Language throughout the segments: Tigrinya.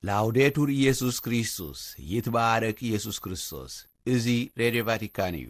ላውዴቱር ኢየሱስ ክርስቶስ፣ ይትባረክ ኢየሱስ ክርስቶስ። እዚ ሬድዮ ቫቲካን እዩ።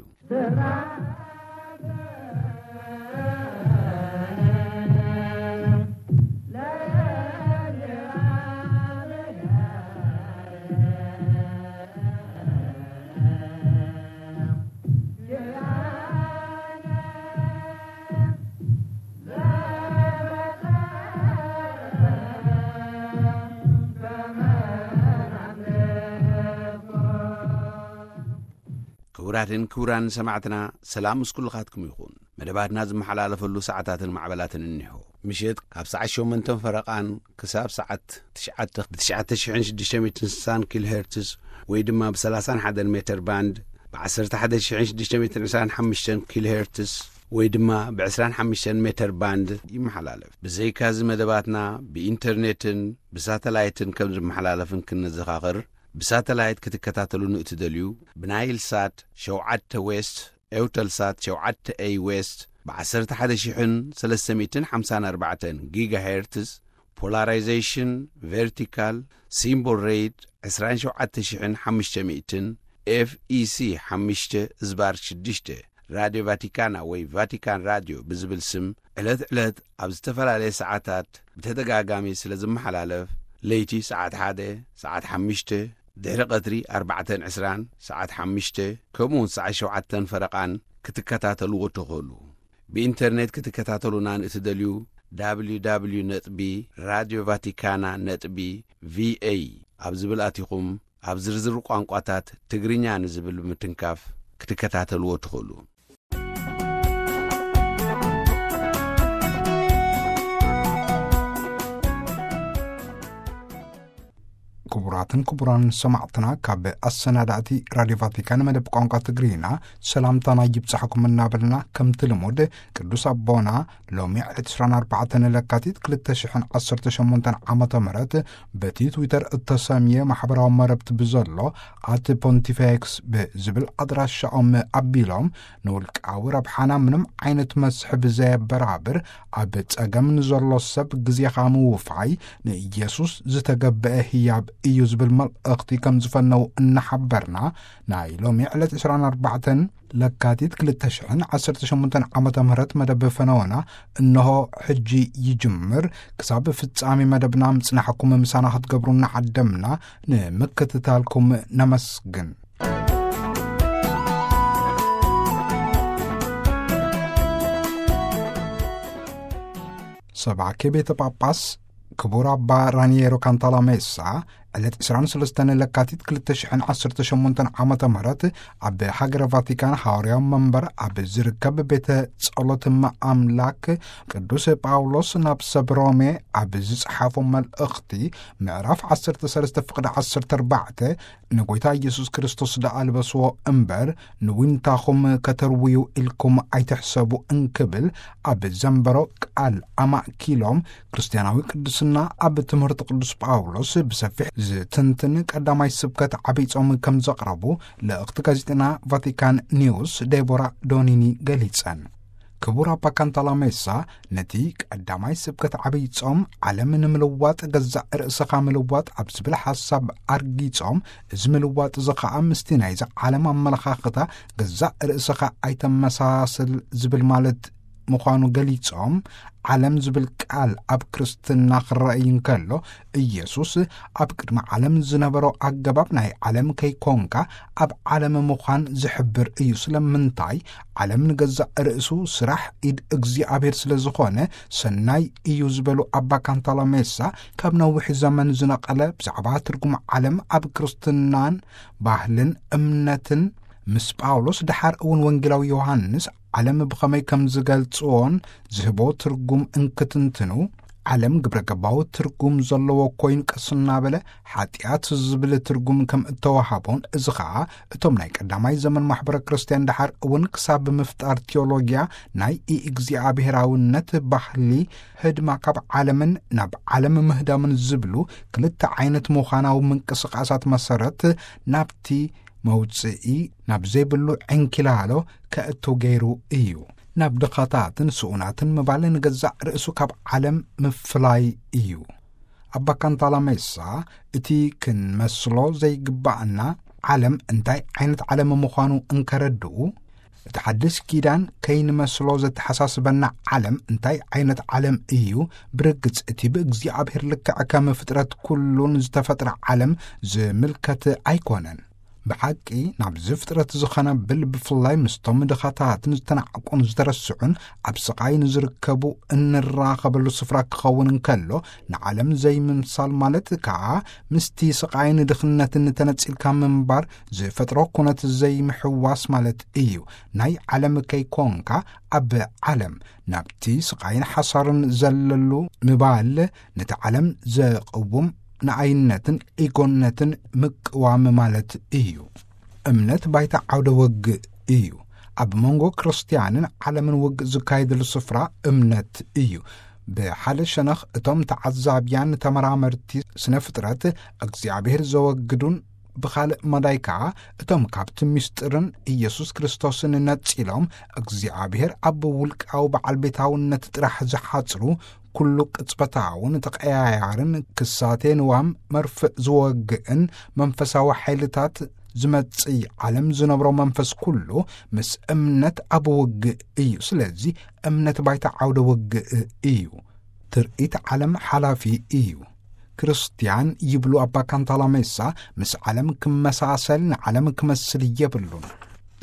ክቡራትን ክቡራን ሰማዕትና፣ ሰላም ምስ ኩልኻትኩም ይኹን። መደባትና ዝመሓላለፈሉ ሰዓታትን ማዕበላትን እኒሆ። ምሸት ካብ ሰዓት ሸሞንተን ፈረቓን ክሳብ ሰዓት ትሽዓተ ብ ትሽዓተ ሽሕን ሽዱሽተ ሚእትን ስሳን ኪሎ ሄርትዝ ወይ ድማ ብ ሰላሳን ሓደን ሜተር ባንድ፣ ብ ዓሰርተ ሓደ ሽሕን ሽዱሽተ ሚእትን ዕስራን ሓሙሽተን ኪሎ ሄርትዝ ወይ ድማ ብ ዕስራን ሓሙሽተን ሜተር ባንድ ይመሓላለፍ። ብዘይካዚ መደባትና ብኢንተርኔትን ብሳተላይትን ከም ዝመሓላለፍን ክንዘኻኽር፣ ብሳተላይት ክትከታተሉን እትደልዩ፣ ብናይል ሳት ሸውዓተ ዌስት፣ ኤውተል ሳት ሸውዓተ ኤይ ዌስት፣ ብ ዓሰርተ ሓደ ሽሕን ሰለስተ ሚእትን ሓምሳን ኣርባዕተን ጊጋ ሄርትዝ፣ ፖላራይዜሽን ቨርቲካል፣ ሲምቦል ሬት ዕስራን ሸውዓተ ሽሕን ሓሙሽተ ሚእትን፣ ኤፍ ኢ ሲ ሓሙሽተ ዝባር ሽዱሽተ፣ ራድዮ ቫቲካና ወይ ቫቲካን ራድዮ ብዝብል ስም ዕለት ዕለት ኣብ ዝተፈላለየ ሰዓታት ብተደጋጋሚ ስለ ዝመሓላለፍ፣ ለይቲ ሰዓት ሓደ፣ ሰዓት ሓሙሽተ፣ ድሕሪ ቀትሪ ኣርባዕተን ዕስራን፣ ሰዓት ሓሙሽተ፣ ከምኡውን ሰዓት ሸውዓተን ፈረቓን ክትከታተልዎ ትኽእሉ። ብኢንተርኔት ክትከታተሉና ንእትደልዩ፣ ደብሊው ደብሊው ደብሊው ነጥቢ ራድዮ ቫቲካና ነጥቢ ቪ ኤ ኣብ ዝብል ኣቲኹም፣ ኣብ ዝርዝር ቋንቋታት ትግርኛ ንዝብል ብምትንካፍ ክትከታተልዎ ትኽእሉ። ክቡራትን ክቡራን ሰማዕትና፣ ካብ ኣሰናዳእቲ ራድዮ ቫቲካን መደብ ቋንቋ ትግርኛ ሰላምታና ይብጻሕኩም እናበልና፣ ከምቲ ልሙድ ቅዱስ ኣቦና ሎሚ ዕለት ዕስራን ኣርባዕተን ለካቲት ክልተ ሽሕን ዓሰርተ ሸሞንተን ዓመተ ምህረት በቲ ትዊተር እተሰምየ ማሕበራዊ መረብቲ ብዘሎ ኣት ፖንቲፌክስ ብዝብል ኣድራሻኦም ኣቢሎም፣ ንውልቃዊ ረብሓና ምንም ዓይነት መስሕብ ዘየበራብር፣ ኣብ ጸገም ንዘሎ ሰብ ግዜኻ ምውፋይ ንኢየሱስ ዝተገበአ ህያብ እዩ ዝብል መልእኽቲ ከም ዝፈነው እናሓበርና፣ ናይ ሎሚ ዕለት ዕስራን ኣርባዕተን ለካቲት ክልተ ሽሕን ዓሰርተ ሸሞንተን ዓመተ ምህረት መደብ ፈነወና እንሆ ሕጂ ይጅምር። ክሳብ ፍጻሜ መደብና ምጽናሕኩም ምሳና ክትገብሩ እናዓደምና፣ ንምክትታልኩም ነመስግን። ሰባኬ ቤተ ጳጳስ ክቡር ኣባ ራኒየሮ ካንታላሜሳ ዕለት ዕስራን ሰለስተን ለካቲት ክልተ ሽሕን ዓሰርተ ሸሞንተን ዓመተ ምህረት ኣብ ሃገረ ቫቲካን ሃዋርያዊ መንበር ኣብ ዝርከብ ቤተ ጸሎት እመ ኣምላክ ቅዱስ ጳውሎስ ናብ ሰብ ሮሜ ኣብ ዝጸሓፎ መልእኽቲ ምዕራፍ ዓሰርተ ሰለስተ ፍቕዲ ዓሰርተ ኣርባዕተ፣ ንጎይታ ኢየሱስ ክርስቶስ ደኣ ልበስዎ እምበር፣ ንዊንታኹም ከተርውዩ ኢልኩም ኣይትሕሰቡ እንክብል ኣብ ዘንበሮ ቃል ኣማእኪሎም፣ ክርስትያናዊ ቅድስና ኣብ ትምህርቲ ቅዱስ ጳውሎስ ብሰፊሕ ዝትንትን ቀዳማይ ስብከት ዓብይ ጾም ከም ዘቕረቡ ልእኽቲ ጋዜጠና ቫቲካን ኒውስ ዴቦራ ዶኒኒ ገሊጸን። ክቡር ኣባ ካንታላሜሳ፣ ነቲ ቀዳማይ ስብከት ዓብይ ጾም፣ ዓለም ንምልዋጥ ገዛእ ርእስኻ ምልዋጥ ኣብ ዝብል ሓሳብ ኣርጊጾም፣ እዚ ምልዋጥ እዚ ኸኣ ምስቲ ናይዚ ዓለም ኣመለኻኽታ ገዛእ ርእስኻ ኣይተመሳስል ዝብል ማለት ምዃኑ ገሊጾም፣ ዓለም ዝብል ቃል ኣብ ክርስትና ክረኣይ እንከሎ፣ ኢየሱስ ኣብ ቅድሚ ዓለም ዝነበሮ ኣገባብ ናይ ዓለም ከይኮንካ ኣብ ዓለም ምዃን ዝሕብር እዩ። ስለምንታይ? ዓለም ንገዛእ ርእሱ ስራሕ ኢድ እግዚኣብሔር ስለ ዝኾነ ሰናይ እዩ ዝበሉ ኣባ ካንታላሜሳ፣ ካብ ነዊሕ ዘመን ዝነቐለ ብዛዕባ ትርጉም ዓለም ኣብ ክርስትናን ባህልን እምነትን ምስ ጳውሎስ፣ ደሓር እውን ወንጌላዊ ዮሃንስ ዓለም ብኸመይ ከም ዝገልጽዎን ዝህቦ ትርጉም እንክትንትኑ፣ ዓለም ግብረ ገባዊ ትርጉም ዘለዎ ኮይኑ ቀስ እናበለ ሓጢኣት ዝብል ትርጉም ከም እተዋሃቦን፣ እዚ ኸኣ እቶም ናይ ቀዳማይ ዘመን ማሕበረ ክርስትያን ደሓር እውን ክሳብ ምፍጣር ቴዎሎጊያ ናይ ኢእግዚኣብሔራውነት ባህሊ ህድማ ካብ ዓለምን ናብ ዓለም ምህዳምን ዝብሉ ክልተ ዓይነት ምዃናዊ ምንቅስቓሳት መሰረት ናብቲ መውጽኢ ናብ ዘይብሉ ዕንኪላሎ ከእቱ ገይሩ እዩ። ናብ ድኻታትን ስኡናትን ምባል ንገዛእ ርእሱ ካብ ዓለም ምፍላይ እዩ። ኣባ ካንታላሜሳ፣ እቲ ክንመስሎ ዘይግባኣና ዓለም እንታይ ዓይነት ዓለም ምዃኑ እንከረድኡ፣ እቲ ሓድሽ ኪዳን ከይንመስሎ ዘተሓሳስበና ዓለም እንታይ ዓይነት ዓለም እዩ? ብርግጽ እቲ ብእግዚኣብሔር ልክዕ ከም ፍጥረት ኩሉን ዝተፈጥረ ዓለም ዝምልከት ኣይኮነን። ብሓቂ ናብዚ ፍጥረት ዝኸነብል፣ ብፍላይ ምስቶም ድኻታትን ዝተናዕቁን ዝተረስዑን ኣብ ስቓይ ንዝርከቡ እንራኸበሉ ስፍራ ክኸውን እንከሎ፣ ንዓለም ዘይምምሳል ማለት ከኣ ምስቲ ስቓይን ድኽነትን ተነጺልካ ምንባር ዝፈጥሮ ኩነት ዘይምሕዋስ ማለት እዩ። ናይ ዓለም ከይኮንካ ኣብ ዓለም ናብቲ ስቓይን ሓሳርን ዘለሉ ምባል ነቲ ዓለም ዘቕውም ንኣይነትን ኢጎነትን ምቅዋም ማለት እዩ። እምነት ባይታ ዓውደ ውግእ እዩ። ኣብ መንጎ ክርስትያንን ዓለምን ውግእ ዝካየደሉ ስፍራ እምነት እዩ። ብሓደ ሸነኽ እቶም ተዓዛብያን ተመራመርቲ ስነ ፍጥረት እግዚኣብሔር ዘወግዱን፣ ብኻልእ መዳይ ከኣ እቶም ካብቲ ምስጢርን ኢየሱስ ክርስቶስን ነጺሎም እግዚኣብሔር ኣብ ውልቃዊ በዓል ቤታውነት ጥራሕ ዝሓጽሩ፣ ኩሉ ቅጽበታውን ተቐያያርን ክሳቴ ንዋም መርፍእ ዝወግእን መንፈሳዊ ሓይልታት ዝመጽእ ዓለም ዝነብሮ መንፈስ ኩሉ ምስ እምነት ኣብ ውግእ እዩ። ስለዚ እምነት ባይታ ዓውደ ውግእ እዩ። ትርኢት ዓለም ሓላፊ እዩ። ክርስትያን ይብሉ ኣባ ካንታላሜሳ፣ ምስ ዓለም ክመሳሰል፣ ንዓለም ክመስል የብሉን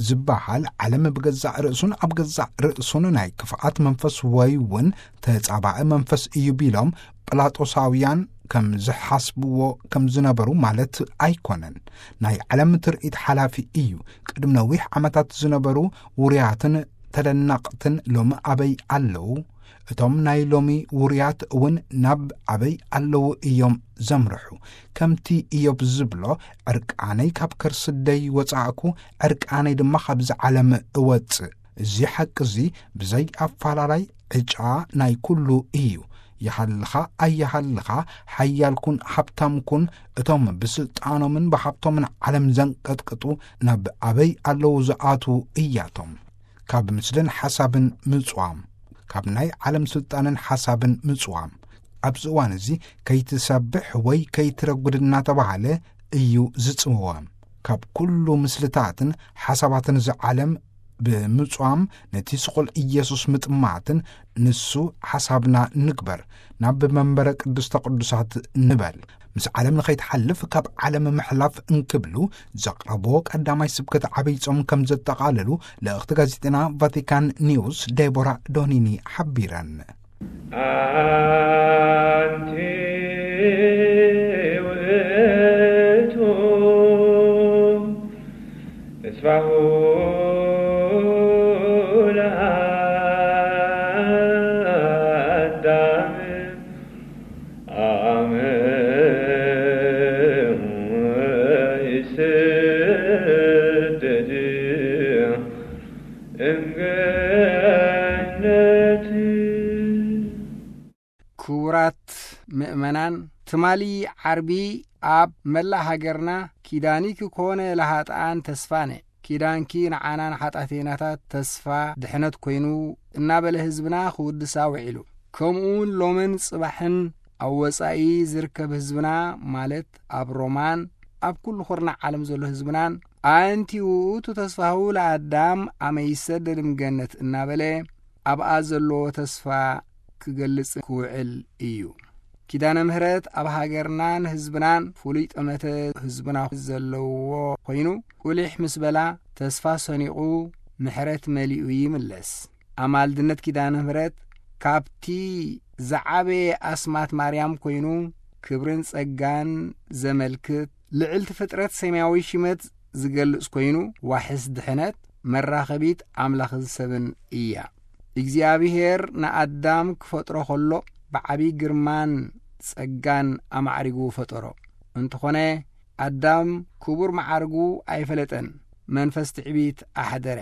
ዝበሃል፣ ዓለም ብገዛእ ርእሱን ኣብ ገዛእ ርእሱን ናይ ክፍኣት መንፈስ ወይ እውን ተጻባኢ መንፈስ እዩ ቢሎም ጲላጦሳውያን ከም ዝሓስብዎ ከም ዝነበሩ ማለት ኣይኮነን። ናይ ዓለም ትርኢት ሓላፊ እዩ። ቅድሚ ነዊሕ ዓመታት ዝነበሩ ውሩያትን ተደነቕትን ሎሚ ኣበይ ኣለዉ? እቶም ናይ ሎሚ ውሩያት እውን ናብ ኣበይ ኣለዉ እዮም ዘምርሑ? ከምቲ ኢዮብ ዝብሎ፣ ዕርቃነይ ካብ ከርሲ ኣደይ ወጻእኩ፣ ዕርቃነይ ድማ ካብዚ ዓለም እወጽእ። እዚ ሓቂ እዚ ብዘይ ኣፈላላይ ዕጫ ናይ ኩሉ እዩ። ይሃልኻ ኣይሃልኻ፣ ሓያልኩን ሃብታምኩን፣ እቶም ብስልጣኖምን ብሃብቶምን ዓለም ዘንቀጥቅጡ ናብ ኣበይ ኣለዉ ዝኣትዉ እያቶም። ካብ ምስልን ሓሳብን ምጽዋም፣ ካብ ናይ ዓለም ስልጣንን ሓሳብን ምጽዋም። ኣብዚ እዋን እዚ ከይትሰብሕ ወይ ከይትረጉድ እናተባህለ እዩ ዝጽወም። ካብ ኩሉ ምስልታትን ሓሳባትን እዚ ዓለም ብምጽዋም ነቲ ስቑል ኢየሱስ ምጥማትን ንሱ ሓሳብና ንግበር፣ ናብ መንበረ ቅድስተ ቅዱሳት ንበል። ምስ ዓለም ንኸይትሓልፍ ካብ ዓለም ምሕላፍ እንክብሉ ዘቕረብዎ ቀዳማይ ስብከት ዓብይ ጾም ከም ዘጠቓለሉ ልእኽቲ ጋዜጠና ቫቲካን ኒውስ ዴቦራ ዶኒኒ ሓቢረን። ኣንቲ ውእቱ ተስፋሁ ለአዳም አመ ይሰደድ እምገነት። ክቡራት ምእመናን፣ ትማሊ ዓርቢ ኣብ መላእ ሃገርና ኪዳንኪ ኮነ ለሃጥኣን ተስፋነ፣ ኪዳንኪ ንዓና ንሓጣቴናታት ተስፋ ድሕነት ኮይኑ እናበለ ህዝብና ክውድሳ ውዒሉ። ከምኡውን ሎምን ጽባሕን ኣብ ወጻኢ ዝርከብ ህዝብና፣ ማለት ኣብ ሮማን ኣብ ኩሉ ኩርናዕ ዓለም ዘሎ ህዝብናን፣ ኣንቲ ውእቱ ተስፋሁ ለኣዳም ኣመ ይሰደድ እምገነት እናበለ ኣብኣ ዘለዎ ተስፋ ክገልጽ ክውዕል እዩ። ኪዳነ ምሕረት ኣብ ሃገርናን ህዝብናን ፍሉይ ጠመተ ህዝብና ዘለዎ ኮይኑ፣ ቁሊሕ ምስ በላ ተስፋ ሰኒቑ ምሕረት መሊኡ ይምለስ። ኣማልድነት ኪዳነ ምሕረት ካብቲ ዝዓበየ ኣስማት ማርያም ኮይኑ፣ ክብርን ጸጋን ዘመልክት፣ ልዕልቲ ፍጥረት ሰማያዊ ሽመት ዝገልጽ ኮይኑ፣ ዋሕስ ድሕነት፣ መራኸቢት ኣምላኽን ሰብን እያ። እግዚኣብሔር ንኣዳም ክፈጥሮ ከሎ ብዓቢ ግርማን ጸጋን ኣማዕሪጉ ፈጠሮ። እንተኾነ ኣዳም ክቡር መዓርጉ ኣይፈለጠን፣ መንፈስ ትዕቢት ኣሕደረ።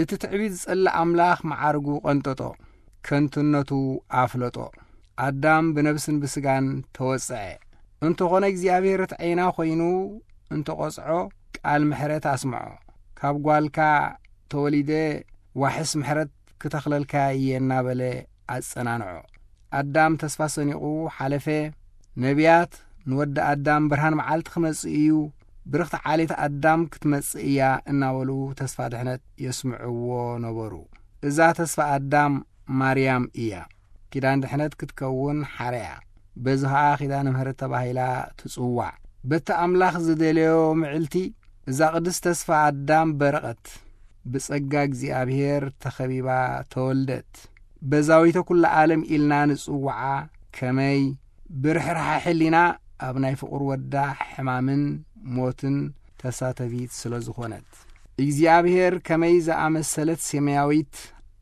እቲ ትዕቢት ዝጸልእ ኣምላኽ መዓርጉ ቀንጠጦ፣ ከንቱነቱ ኣፍለጦ። ኣዳም ብነብስን ብስጋን ተወጽዐ። እንተኾነ እግዚኣብሔር ርትዓይና ኮይኑ እንተቖጽዖ ቃል ምሕረት ኣስምዖ። ካብ ጓልካ ተወሊደ ዋሕስ ምሕረት ክተኽለልካ እየ እናበለ ኣጸናንዖ። ኣዳም ተስፋ ሰኒቑ ሓለፈ። ነቢያት፣ "ንወዲ ኣዳም ብርሃን መዓልቲ ክመጽእ እዩ፣ ብርኽቲ ዓሌት ኣዳም ክትመጽእ እያ" እናበሉ ተስፋ ድሕነት የስምዕዎ ነበሩ። እዛ ተስፋ ኣዳም ማርያም እያ። ኪዳን ድሕነት ክትከውን ሓረያ። በዚ ኸኣ ኪዳነ ምሕረት ተባሂላ ትጽዋዕ። በቲ ኣምላኽ ዝደለዮ ምዕልቲ፣ እዛ ቅድስት ተስፋ ኣዳም በረቐት። ብጸጋ እግዚኣብሔር ተኸቢባ ተወልደት። በዛዊተ ኩሉ ዓለም ኢልና ንጽውዓ፣ ከመይ ብርሕራሐ ሕሊና ኣብ ናይ ፍቑር ወዳ ሕማምን ሞትን ተሳተፊት ስለ ዝኾነት። እግዚኣብሔር ከመይ ዝኣመሰለት ሰማያዊት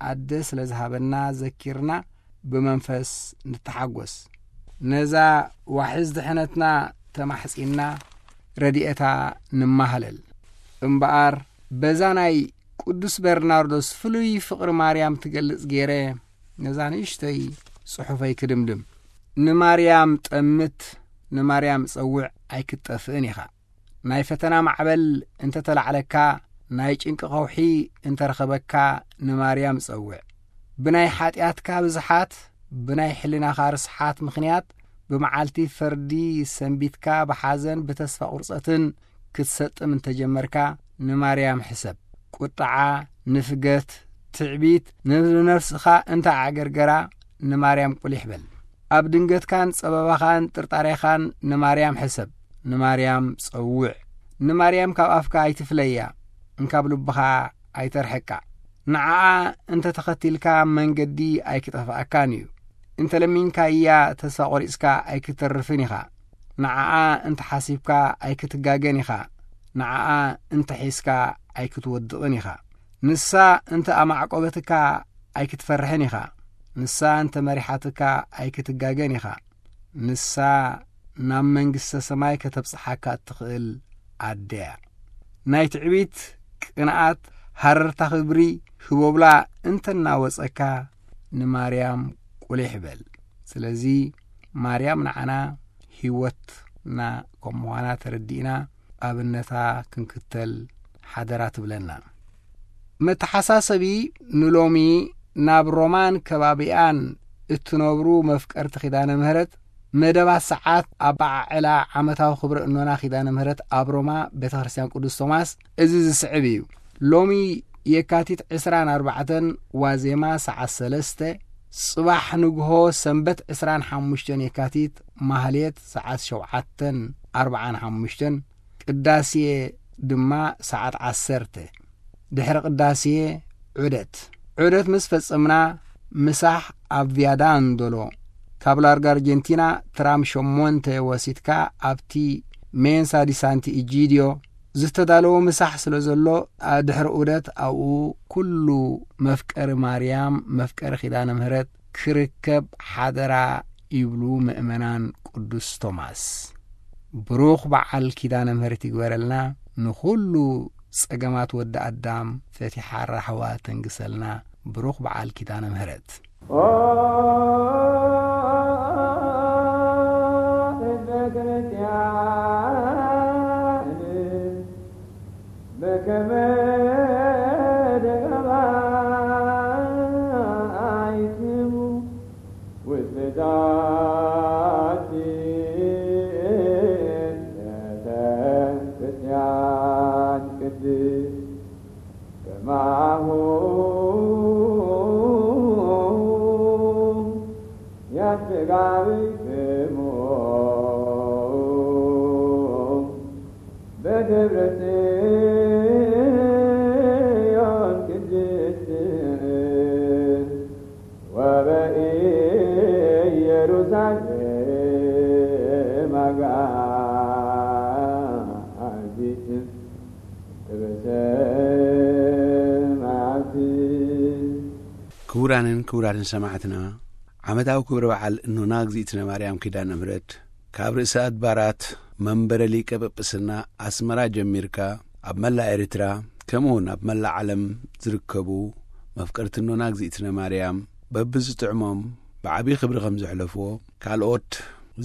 ኣደ ስለ ዝሃበና ዘኪርና ብመንፈስ ንተሓጎስ። ነዛ ዋሕዝ ድሕነትና ተማሕጺንና ረድኤታ ንማህለል። እምበኣር በዛ ናይ ቅዱስ በርናርዶስ ፍሉይ ፍቕሪ ማርያም ትገልጽ ገይረ ነዛ ንእሽተይ ጽሑፈይ ክድምድም። ንማርያም ጠምት፣ ንማርያም ጸውዕ ኣይክትጠፍእን ኢኻ። ናይ ፈተና ማዕበል እንተ ተላዕለካ፣ ናይ ጭንቂ ከውሒ እንተ ረኸበካ ንማርያም ጸውዕ። ብናይ ሓጢኣትካ ብዝሓት፣ ብናይ ሕልናኻ ርስሓት ምኽንያት ብመዓልቲ ፈርዲ ሰንቢትካ ብሓዘን ብተስፋ ቁርጸትን ክትሰጥም እንተጀመርካ ንማርያም ሕሰብ። ቁጥዓ፣ ንፍገት፣ ትዕቢት ንነፍስኻ እንተ ኣዕገርገራ ንማርያም ቁሊሕ በል። ኣብ ድንገትካን ጸበባኻን ጥርጣሬኻን ንማርያም ሕሰብ። ንማርያም ጸውዕ። ንማርያም ካብ ኣፍካ ኣይትፍለያ፣ እንካብ ልብኻ ኣይተርሕቃ። ንዓኣ እንተ ተኸቲልካ መንገዲ ኣይክጠፍኣካን እዩ። እንተ ለሚንካያ ተስፋ ቆሪጽካ ኣይክተርፍን ኢኻ። ንዓኣ እንተ ሓሲብካ ኣይክትጋገን ኢኻ። ንዓኣ እንተ ሒዝካ ኣይክትወድቕን ኢኻ። ንሳ እንተ ኣማዕቆበትካ ኣይክትፈርሕን ኢኻ። ንሳ እንተ መሪሓትካ ኣይክትጋገን ኢኻ። ንሳ ናብ መንግስተ ሰማይ ከተብጽሓካ እትኽእል ኣደያ። ናይ ትዕቢት፣ ቅንኣት፣ ሃረርታ ክብሪ ህቦብላ እንተናወጸካ ንማርያም ቁሊሕ በል። ስለዚ ማርያም ንዓና ህይወትና ከም ምዃና ተረዲእና ኣብነታ ክንክተል ሓደራ ትብለና። መተሓሳሰቢ፣ ንሎሚ ናብ ሮማን ከባቢኣን እትነብሩ መፍቀርቲ ኪዳነ ምህረት መደባት ሰዓት ኣበዓዕላ ዓመታዊ ክብረ እኖና ኪዳነ ምህረት ኣብ ሮማ ቤተ ክርስቲያን ቅዱስ ቶማስ እዚ ዝስዕብ እዩ። ሎሚ የካቲት ዕስራን ኣርባዕተን ዋዜማ ሰዓት ሰለስተ፣ ጽባሕ ንግሆ ሰንበት ዕስራን ሓሙሽተን የካቲት ማህሌት ሰዓት ሸውዓተን ኣርባዓን ሓሙሽተን፣ ቅዳሴ ድማ ሰዓት ዓሰርተ። ድሕሪ ቅዳሴ ዑደት። ዑደት ምስ ፈጸምና ምሳሕ ኣብ ቪያ ዳንዶሎ፣ ካብ ላርጋ ኣርጀንቲና ትራም ሸሞንተ ወሲድካ ኣብቲ ሜንሳ ዲ ሳንቲ ኢጂድዮ ዝተዳለወ ምሳሕ ስለ ዘሎ፣ ኣ-፣ ድሕሪ ዑደት ኣብኡ ኩሉ መፍቀሪ ማርያም፣ መፍቀሪ ኪዳነ ምህረት ክርከብ ሓደራ ይብሉ ምእመናን ቅዱስ ቶማስ። ብሩኽ በዓል ኪዳነ ምህረት ይግበረልና። ንኹሉ ጸገማት ወዲ ኣዳም ፈቲሓ ራህዋ ተንግሰልና። ብሩኽ በዓል ኪዳነ ምህረት። ክቡራንን ክቡራትን ሰማዕትና፣ ዓመታዊ ክብረ በዓል እኖና እግዝእትነ ማርያም ኪዳነ ምህረት ካብ ርእሰ ኣድባራት መንበረ ሊቀ ጳጳስና ኣስመራ ጀሚርካ ኣብ መላእ ኤርትራ ከምኡውን ኣብ መላእ ዓለም ዝርከቡ መፍቀርቲ እኖና እግዝእትነ ማርያም በብዝጥዕሞም ብዓብዪ ክብሪ ከም ዘሕለፍዎ፣ ካልኦት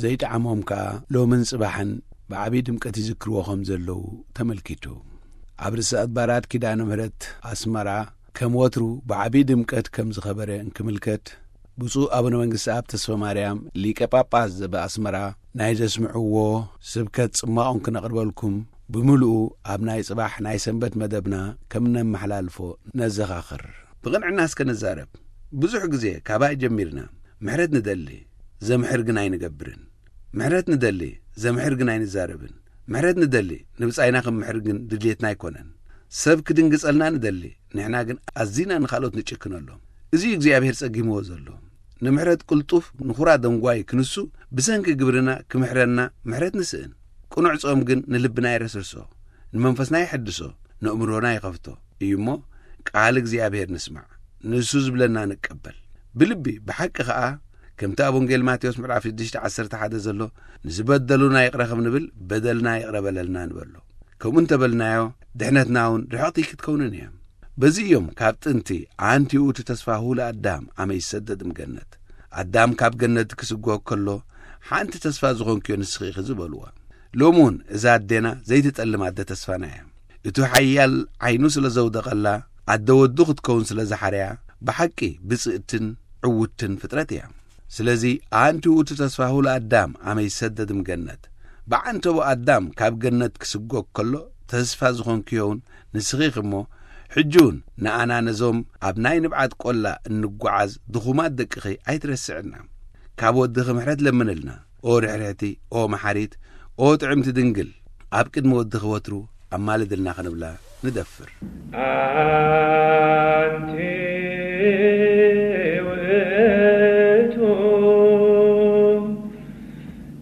ዘይጠዓሞም ከኣ ሎምን ጽባሕን ብዓብዪ ድምቀት ይዝክርዎ ከም ዘለዉ ተመልኪቱ። ኣብ ርእሰ ኣድባራት ኪዳነ ምህረት ኣስመራ ከም ወትሩ ብዓብዪ ድምቀት ከም ዝኸበረ እንክምልከት፣ ብፁዕ ኣቡነ መንግስቲ ኣብ ተስፋ ማርያም ሊቀ ጳጳስ ዘበኣስመራ ናይ ዘስምዕዎ ስብከት ጽማቑን ክነቕርበልኩም ብምሉኡ ኣብ ናይ ጽባሕ ናይ ሰንበት መደብና ከም ነመሓላልፎ ነዘኻኽር። ብቕንዕና እስከ ንዛረብ። ብዙሕ ግዜ ካባይ ጀሚርና ምሕረት ንደሊ፣ ዘምሕር ግን ኣይንገብርን። ምሕረት ንደሊ፣ ዘምሕር ግን ኣይንዛረብን። ምሕረት ንደሊ፣ ንብጻይና ክምሕር ግን ድልየትና ኣይኮነን። ሰብ ክድንግጸልና ንደሊ፣ ንሕና ግን ኣዚና ንኻልኦት ንጭክነሎም። እዚ እዩ እግዚኣብሔር ጸጊምዎ ዘሎ። ንምሕረት ቅልጡፍ ንኹራ ደንጓይ ክንሱ፣ ብሰንኪ ግብርና ክምሕረና ምሕረት ንስእን። ቅኑዕ ጾም ግን ንልብና የረስርሶ፣ ንመንፈስና የሐድሶ፣ ነእምሮና ይኸፍቶ እዩ እሞ፣ ቃል እግዚኣብሔር ንስማዕ፣ ንሱ ዝብለና ንቀበል። ብልቢ ብሓቂ ኸኣ፣ ከምቲ ኣብ ወንጌል ማቴዎስ ምዕራፍ ሽዱሽተ ዓሰርተ ሓደ ዘሎ፣ "ንዝበደሉና ይቕረ ከም ንብል፣ በደልና ይቕረ በለልና" ንበሎ። ከምኡ እንተበልናዮ፣ ድሕነትና እውን ርሕቕቲ ክትከውንን እያ። በዚ እዮም ካብ ጥንቲ፣ "ኣንቲ ውእቱ ተስፋሁ ለኣዳም፣ ኣመ ይሰደድ እምገነት፣ ኣዳም ካብ ገነት ክስጎግ ከሎ፣ ሓንቲ ተስፋ ዝኾንክዮ ንስኺ ኢኺ" ዝበልዋ። ሎሚ እውን እዛ ኣዴና ዘይትጠልም ኣደ ተስፋና እያ። እቱ ሓያል ዓይኑ ስለ ዘውደቐላ፣ ኣደ ወዱ ክትከውን ስለ ዝሓርያ፣ ብሓቂ ብጽእትን ዕውትን ፍጥረት እያ። ስለዚ፣ "ኣንቲ ውእቱ ተስፋሁ ለኣዳም፣ ኣመ ይሰደድ እምገነት፣ ብዓንተቦ ኣዳም ካብ ገነት ክስጎግ ከሎ፣ ተስፋ ዝኾንክዮ እውን ንስኺ ኢኺ እሞ፣ ሕጂ እውን ንኣና ነዞም ኣብ ናይ ንብዓት ቆላ እንጓዓዝ ድኹማት ደቅኺ ኣይትረስዕና። ካብ ወድኺ ምሕረት ለምንልና፣ ኦ ርሕርሕቲ፣ ኦ መሓሪት፣ ኦ ጥዕምቲ ድንግል፣ ኣብ ቅድሚ ወድኺ ወትሩ ኣማልድልና" ክንብላ ንደፍር። ኣንቲ ውእቱ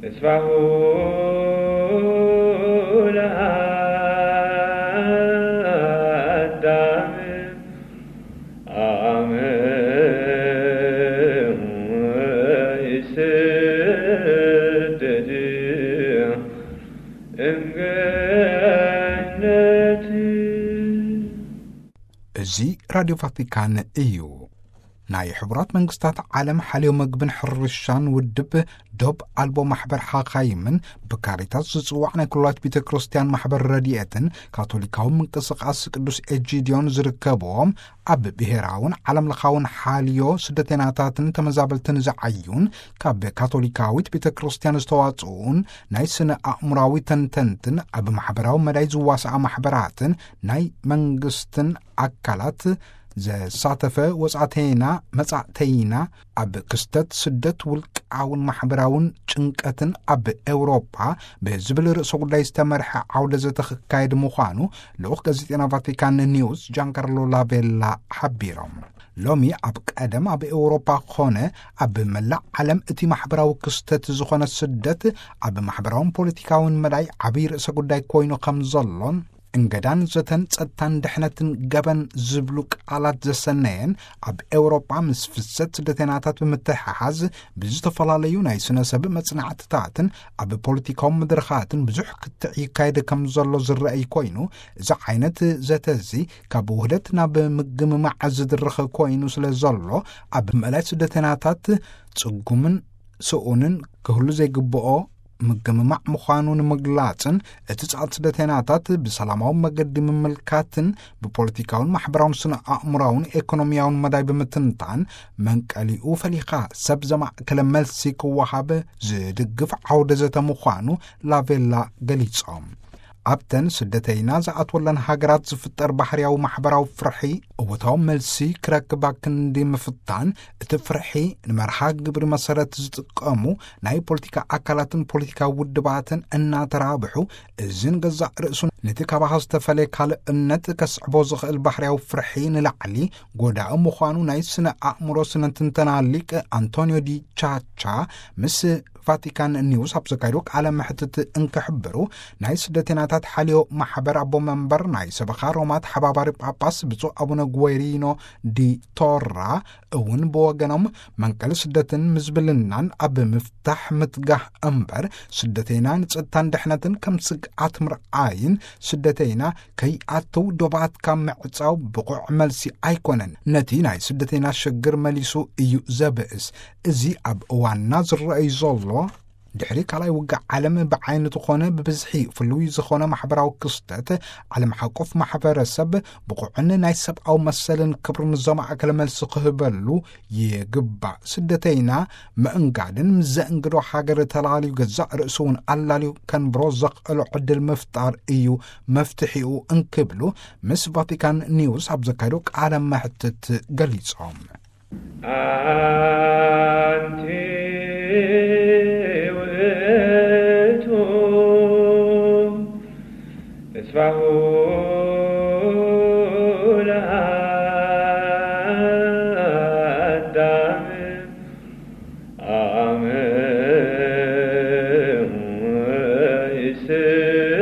ተስፋሁ ለኣዳም፣ ኣመ ይሰደድ እምገነት። እዚ ራድዮ ቫቲካን እዩ። ናይ ሕቡራት መንግስታት ዓለም ሓልዮ መግብን ሕርሻን ውድብ፣ ዶብ ኣልቦ ማሕበር ሓኻይምን ብካሪታስ ዝጽዋዕ ናይ ኩላዊት ቤተ ክርስቲያን ማሕበር ረድኤትን ካቶሊካዊ ምንቅስቓስ ቅዱስ ኤጂድዮን ዝርከብዎም፣ ኣብ ብሔራውን ዓለም ለኻውን ሓልዮ ስደተኛታትን ተመዛበልትን ዝዓዩን፣ ካብ ካቶሊካዊት ቤተ ክርስቲያን ዝተዋጽኡን ናይ ስነ ኣእምራዊ ተንተንትን ኣብ ማሕበራዊ መዳይ ዝዋስኣ ማሕበራትን ናይ መንግስትን ኣካላት ዘሳተፈ ወጻእተይና መጻእተይና ኣብ ክስተት ስደት ውልቃውን ማሕበራውን ጭንቀትን ኣብ ኤውሮጳ ብዝብል ርእሰ ጉዳይ ዝተመርሐ ዓውደ ዘተ ክካየድ ምዃኑ ልኡኽ ጋዜጠና ቫቲካን ኒውስ ጃንካርሎ ላቬላ ሓቢሮም። ሎሚ ኣብ ቀደም ኣብ ኤውሮጳ ኮነ ኣብ መላእ ዓለም እቲ ማሕበራዊ ክስተት ዝኾነ ስደት ኣብ ማሕበራውን ፖለቲካውን መዳይ ዓብዪ ርእሰ ጉዳይ ኮይኑ ከም ዘሎን እንገዳን ዘተን ጸጥታን ድሕነትን ገበን ዝብሉ ቃላት ዘሰነየን ኣብ ኤውሮጳ ምስ ፍሰት ስደተኛታት ብምትሕሓዝ ብዝተፈላለዩ ናይ ስነ ሰብ መጽናዕትታትን ኣብ ፖለቲካዊ መድረኻትን ብዙሕ ክትዕ ይካየድ ከም ዘሎ ዝረኣይ ኮይኑ፣ እዚ ዓይነት ዘተ እዚ ካብ ውህደት ናብ ምግምማዕ ዝድርኽ ኮይኑ ስለ ዘሎ፣ ኣብ ምእላይ ስደተኛታት ጽጉምን ስኡንን ክህሉ ዘይግብኦ ምግምማዕ ምዃኑ ንምግላጽን፣ እቲ ጻዕት ስደተኛታት ብሰላማዊ መገዲ ምምልካትን ብፖለቲካውን ማሕበራውን ስነ ኣእምራውን ኤኮኖሚያውን መዳይ ብምትንታን፣ መንቀሊኡ ፈሊኻ ሰብ ዘማእከለ መልሲ ክወሃብ ዝድግፍ ዓውደ ዘተ ምዃኑ ላቬላ ገሊጾም። ኣብተን ስደተይና ዝኣትወለን ሃገራት ዝፍጠር ባህርያዊ ማሕበራዊ ፍርሒ እወታዊ መልሲ ክረክባ ክንዲ ምፍታን፣ እቲ ፍርሒ ንመርሃ ግብሪ መሰረት ዝጥቀሙ ናይ ፖለቲካ ኣካላትን ፖለቲካዊ ውድባትን እናተራብሑ፣ እዝን ገዛእ ርእሱን ነቲ ካባኻ ዝተፈለየ ካልእነት ከስዕቦ ዝኽእል ባህርያዊ ፍርሒ ንላዕሊ ጎዳኢ ምዃኑ ናይ ስነ ኣእምሮ ስነ ትንተና ሊቅ ኣንቶኒዮ ዲ ቻቻ ምስ ቫቲካን ኒውስ ኣብ ዘካየዶ ቃለ መሕትት እንክሕብሩ፣ ናይ ስደተኛታት ሓልዮ ማሕበር ኣቦ መንበር ናይ ሰበኻ ሮማ ተሓባባሪ ጳጳስ ብፁዕ ኣቡነ ጉዌሪኖ ዲ ቶራ እውን ብወገኖም፣ መንቀሊ ስደትን ምዝብልናን ኣብ ምፍታሕ ምትጋህ እምበር፣ ስደተይና ንጸጥታን ድሕነትን ከም ስግኣት ምርኣይን፣ ስደተይና ከይኣተው ዶባትካ ምዕጻው ብቑዕ መልሲ ኣይኮነን። ነቲ ናይ ስደተይና ሽግር መሊሱ እዩ ዘብእስ። እዚ ኣብ እዋንና ዝረኣይ ዘሎ ድሕሪ ካልኣይ ውግእ ዓለም ብዓይነቱ ኾነ ብብዝሒ ፍሉይ ዝኾነ ማሕበራዊ ክስተት፣ ዓለም ሓቆፍ ማሕበረሰብ ብቑዕን ናይ ሰብኣዊ መሰልን ክብርን ዘማእከለ መልሲ ክህበሉ ይግባእ። ስደተይና ምእንጋድን ምስ ዘእንግዶ ሃገር ተላልዩ ገዛእ ርእሱ እውን ኣላልዩ ከንብሮ ዘኽእሎ ዕድል ምፍጣር እዩ መፍትሒኡ እንክብሉ ምስ ቫቲካን ኒውስ ኣብ ዘካየዶ ቃለ መሕትት ገሊጾም። ኣንቲ ውእቱ ተስፋሁ ለአዳም አመ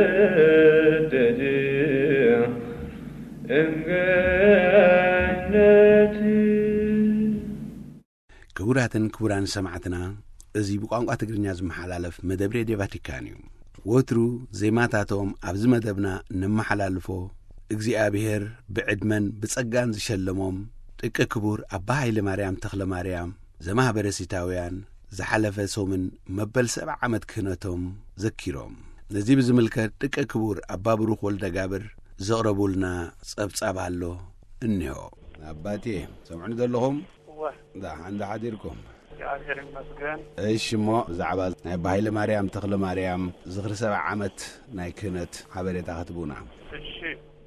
ይሰደድ እምገነት። ክቡራትን ክቡራን ሰማዕትና፣ እዚ ብቋንቋ ትግርኛ ዝመሓላለፍ መደብ ሬድዮ ቫቲካን እዩ። ወትሩ ዜማታቶም ኣብዚ መደብና ነመሓላልፎ፣ እግዚኣብሔር ብዕድመን ብጸጋን ዝሸለሞም ደቂ ክቡር ኣባ ሃይለ ማርያም ተኽለ ማርያም ዘማህበረ ሲታውያን ዝሓለፈ ሰሙን መበል ሰብዓ ዓመት ክህነቶም ዘኪሮም። ነዚ ብዝምልከት ደቂ ክቡር ኣባ ብሩኽ ወልደ ጋብር ዘቕረቡልና ጸብጻብ ኣሎ፣ እንሆ። ኣባቴ፣ ሰምዑኒ ዘለኹም? እወ። ደሓን ዶ ሓዲርኩም? እግዚኣብሔር ይመስገን። እሺ፣ እሞ ብዛዕባ ናይ ኣባ ሃይለ ማርያም ተኽለ ማርያም ዝኽሪ ሰብዓ ዓመት ናይ ክህነት ሓበሬታ ክትቡና። እሺ፣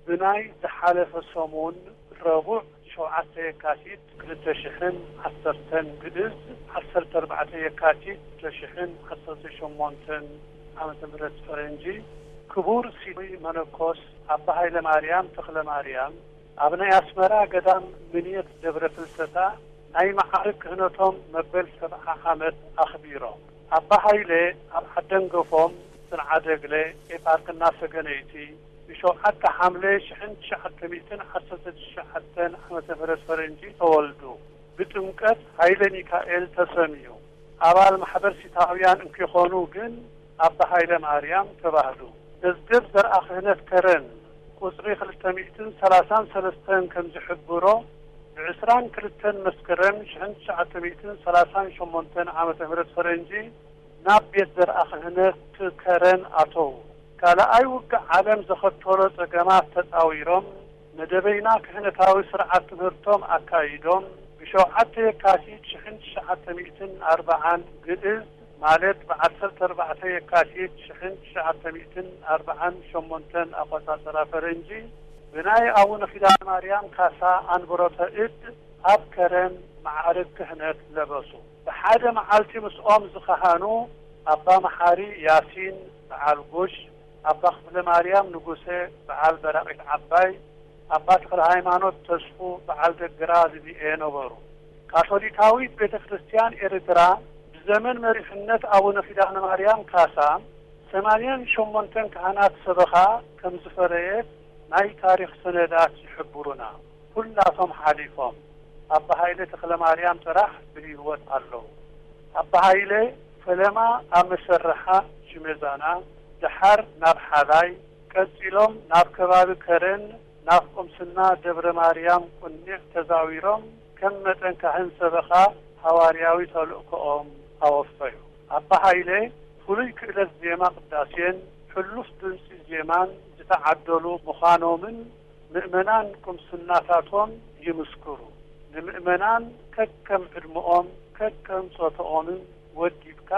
ብናይ ዝሓለፈ ሰሙን ረቡዕ ሸውዓተ የካቲት ክልተ ሽሕን ዓሰርተን ግእዝ፣ ዓሰርተ ኣርባዕተ የካቲት ክልተ ሽሕን ዓሰርተ ሸሞንተን ዓመተ ምህረት ፈረንጂ፣ ክቡር ሲኖይ መነኮስ ኣባ ሃይለ ማርያም ተኽለ ማርያም ኣብ ናይ ኣስመራ ገዳም ምንየት ደብረ ፍልሰታ ናይ መዓርግ ክህነቶም መበል ሰብዓ ዓመት ኣኽቢሮም። ኣባ ሃይለ ኣብ ዓደንገፎም ጽንዓደግለ ኤፓርክና ሰገነይቲ ብሸውዓተ ሓምለ ሽሕን ትሽዓተ ሚእትን ዓሰርተ ትሽዓተን ዓመተ ምህረት ፈረንጂ ተወልዱ። ብጥምቀት ሃይለ ሚካኤል ተሰምዩ። ኣባል ማሕበር ሲታውያን እንኪኾኑ ግን ኣባ ሃይለ ማርያም ተባህሉ። መዝገብ ዘርኣ ክህነት ከረን ቁጽሪ ክልተ ሚእትን ሰላሳን ሰለስተን ከም ዝሕብሮ፣ ብዕስራን ክልተን መስከረም ሽሕን ትሽዓተ ሚእትን ሰላሳን ሸሞንተን ዓመተ ምህረት ፈረንጂ ናብ ቤት ዘርኣ ክህነት ከረን ኣተዉ። ካልኣይ ውግእ ዓለም ዘኸተሎ ጸገማት ተጻዊሮም፣ መደበይና ክህነታዊ ስርዓት ትምህርቶም ኣካይዶም፣ ብሸውዓተ የካቲት ሽሕን ትሽዓተ ሚእትን ኣርብዓን ግእዝ፣ ማለት ብዓሰርተ ኣርባዕተ የካቲት ሽሕን ትሽዓተ ሚእትን ኣርብዓን ሸሞንተን ኣቆጻጽራ ፈረንጂ፣ ብናይ ኣቡነ ኪዳነ ማርያም ካሳ ኣንብሮተ እድ ኣብ ከረን መዓርግ ክህነት ለበሱ። ብሓደ መዓልቲ ምስኦም ዝኸሃኑ ኣባ መሓሪ ያሲን በዓል ጉሽ፣ ኣባ ክፍለ ማርያም ንጉሰ በዓል በራቒት ዓባይ፣ ኣባ ተኽለ ሃይማኖት ተስፉ በዓል ደግራ ዝብኤ ነበሩ። ካቶሊካዊት ቤተ ክርስቲያን ኤርትራ ብዘመን መሪሕነት ኣቡነ ኪዳነ ማርያም ካሳ ሰማንያን ሸሞንተን ካህናት ሰበኻ ከም ዝፈረየት ናይ ታሪኽ ሰነዳት ይሕብሩና። ኩላቶም ሓሊፎም፣ ኣባ ሃይለ ተኽለ ማርያም ጥራሕ ብህይወት ኣለዉ። ኣባ ሃይለ ፈለማ ኣብ መሰርሓ ሽሜዛና፣ ደሓር ናብ ሓላይ፣ ቀጺሎም ናብ ከባቢ ከረን፣ ናብ ቁምስና ደብረ ማርያም ቁኒዕ ተዛዊሮም፣ ከም መጠን ካህን ሰበኻ ሃዋርያዊ ተልእኮኦም ኣወፈዩ። ኣባ ሃይለ ፍሉይ ክእለት ዜማ ቅዳሴን ሕሉፍ ድምጺ ዜማን ዝተዓደሉ ምዃኖምን ምእመናን ቁምስናታቶም ይምስክሩ። ንምእመናን ከከም ዕድመኦም ከከም ጾታኦምን ወዲብካ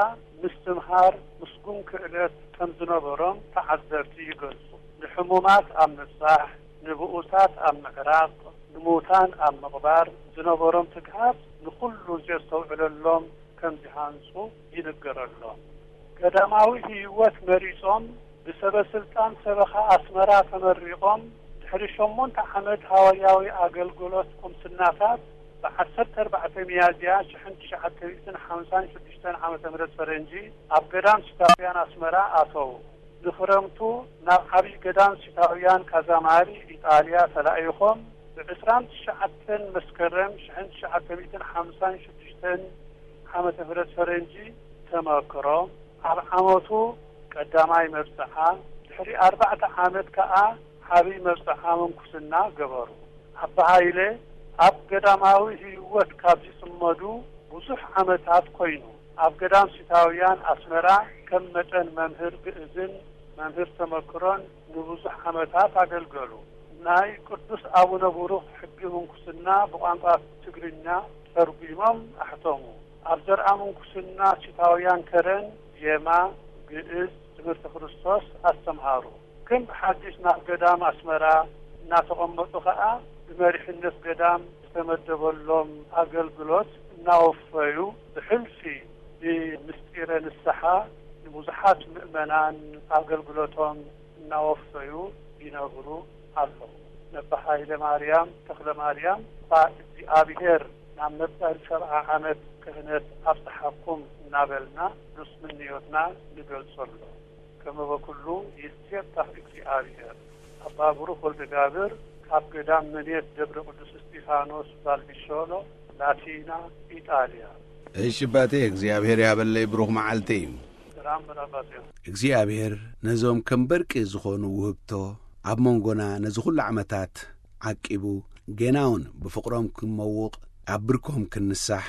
ምስትምሃር ምስጉን ክእለት ከም ዝነበሮም ተዓዘብቲ ይገልጹ። ንሕሙማት ኣብ ምብጻሕ፣ ንብኡሳት ኣብ ምዕራቕ፣ ንሙታን ኣብ ምቕባር ዝነበሮም ትግሃት ንኹሉ ዘስተውዕለሎም ከም ዝሃንጹ ይንገረሎም። ገዳማዊ ህይወት መሪጾም ብሰበ ስልጣን ሰበኻ ኣስመራ ተመሪቖም ድሕሪ ሸሞንተ ዓመት ሃዋርያዊ ኣገልግሎት ቁምስናታት ብዓሰርተ ኣርባዕተ ሚያዝያ ሽሕን ትሽዓተ ሚእትን ሓምሳን ሽዱሽተን ዓመተ ምህረት ፈረንጂ ኣብ ገዳም ሲታውያን ኣስመራ ኣተዉ። ንኽረምቱ ናብ ዓብዪ ገዳም ሲታውያን ካዛማሪ ኢጣልያ ተላኢኾም ብዕስራን ትሽዓተን መስከረም ሽሕን ትሽዓተ ሚእትን ሓምሳን ሽዱሽተን ዓመተ ምህረት ፈረንጂ ተመክሮ ኣብ ዓመቱ ቀዳማይ መብጽዓ፣ ድሕሪ ኣርባዕተ ዓመት ከኣ ዓብዪ መብጽዓ ምንኩስና ገበሩ። ኣባ ሃይለ ኣብ ገዳማዊ ህይወት ካብ ዝጽመዱ ብዙሕ ዓመታት ኮይኑ፣ ኣብ ገዳም ሲታውያን ኣስመራ ከም መጠን መምህር ግእዝን መምህር ተመክሮን ንብዙሕ ዓመታት ኣገልገሉ። ናይ ቅዱስ ኣቡነ ብሩኽ ሕጊ ምንኩስና ብቋንቋ ትግርኛ ተርጒሞም ኣሕተሙ። ኣብ ዘርኣ ምንኩስና ሲታውያን ከረን፣ ዜማ፣ ግእዝ፣ ትምህርቲ ክርስቶስ ኣስተምሃሩ። ከም ብሓዲስ ናብ ገዳም ኣስመራ እናተቐመጡ ኸኣ ብመሪሕነት ገዳም ዝተመደበሎም ኣገልግሎት እናወፈዩ፣ ብሕልፊ ብምስጢረ ንስሓ ንብዙሓት ምእመናን ኣገልግሎቶም እናወፈዩ ይነብሩ ኣለዉ። ነባ ሃይለ ማርያም ተኽለ ማርያም፣ እኳ እግዚኣብሔር ናብ መበል ሰብዓ ዓመት ክህነት ኣብጽሓኩም እናበልና ንስ ምንዮትና ንገልጸሉ። ከመ በኩሉ ይሴብሐ እግዚኣብሔር። ኣባ ብሩኽ ወልደ ጋብር፣ ካብ ገዳም መኔት ደብረ ቅዱስ እስጢፋኖስ ቫልዲሾሎ፣ ላቲና፣ ኢጣልያ። እሺ ኣባቴ፣ እግዚኣብሔር ያበለይ፣ ብሩኽ መዓልቲ። ሰላም በል ኣባቴ። እግዚኣብሔር ነዞም ከም በርቂ ዝኾኑ ውህብቶ ኣብ መንጎና ነዚ ኩሉ ዓመታት ዓቂቡ፣ ጌና እውን ብፍቕሮም ክንመውቕ፣ ኣብ ብርኮም ክንንሳሕ፣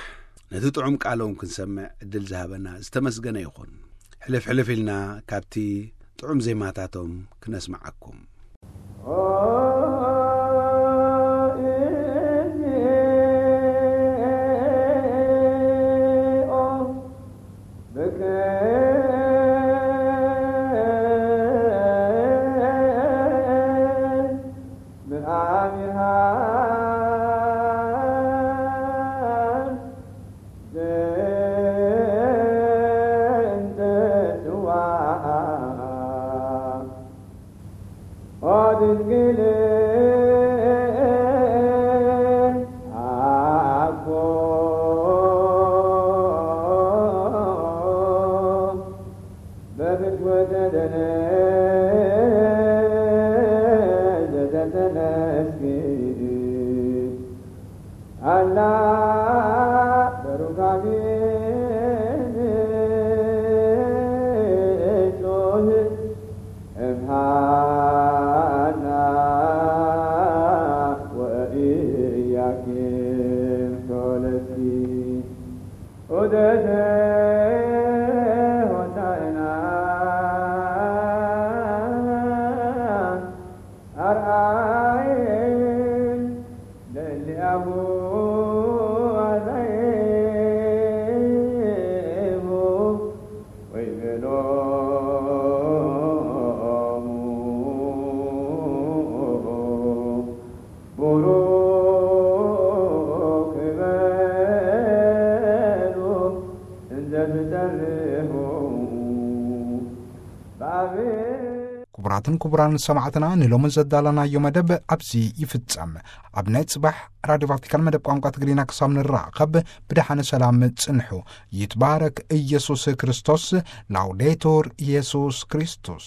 ነቲ ጥዑም ቃሎም ክንሰምዕ ዕድል ዝሃበና ዝተመስገነ ይኹን። ሕልፍ ሕልፍ ኢልና ካብቲ ጥዑም ዜማታቶም ክነስምዓኩም። ክቡራትን ክቡራን ሰማዕትና፣ ንሎሚ ዘዳለናዮ መደብ ኣብዚ ይፍጸም። ኣብ ናይ ጽባሕ ራድዮ ቫቲካን መደብ ቋንቋ ትግርኛ ክሳብ ንራኸብ፣ ብደሓነ ሰላም ጽንሑ። ይትባረክ ኢየሱስ ክርስቶስ። ላውዴቱር ኢየሱስ ክርስቶስ።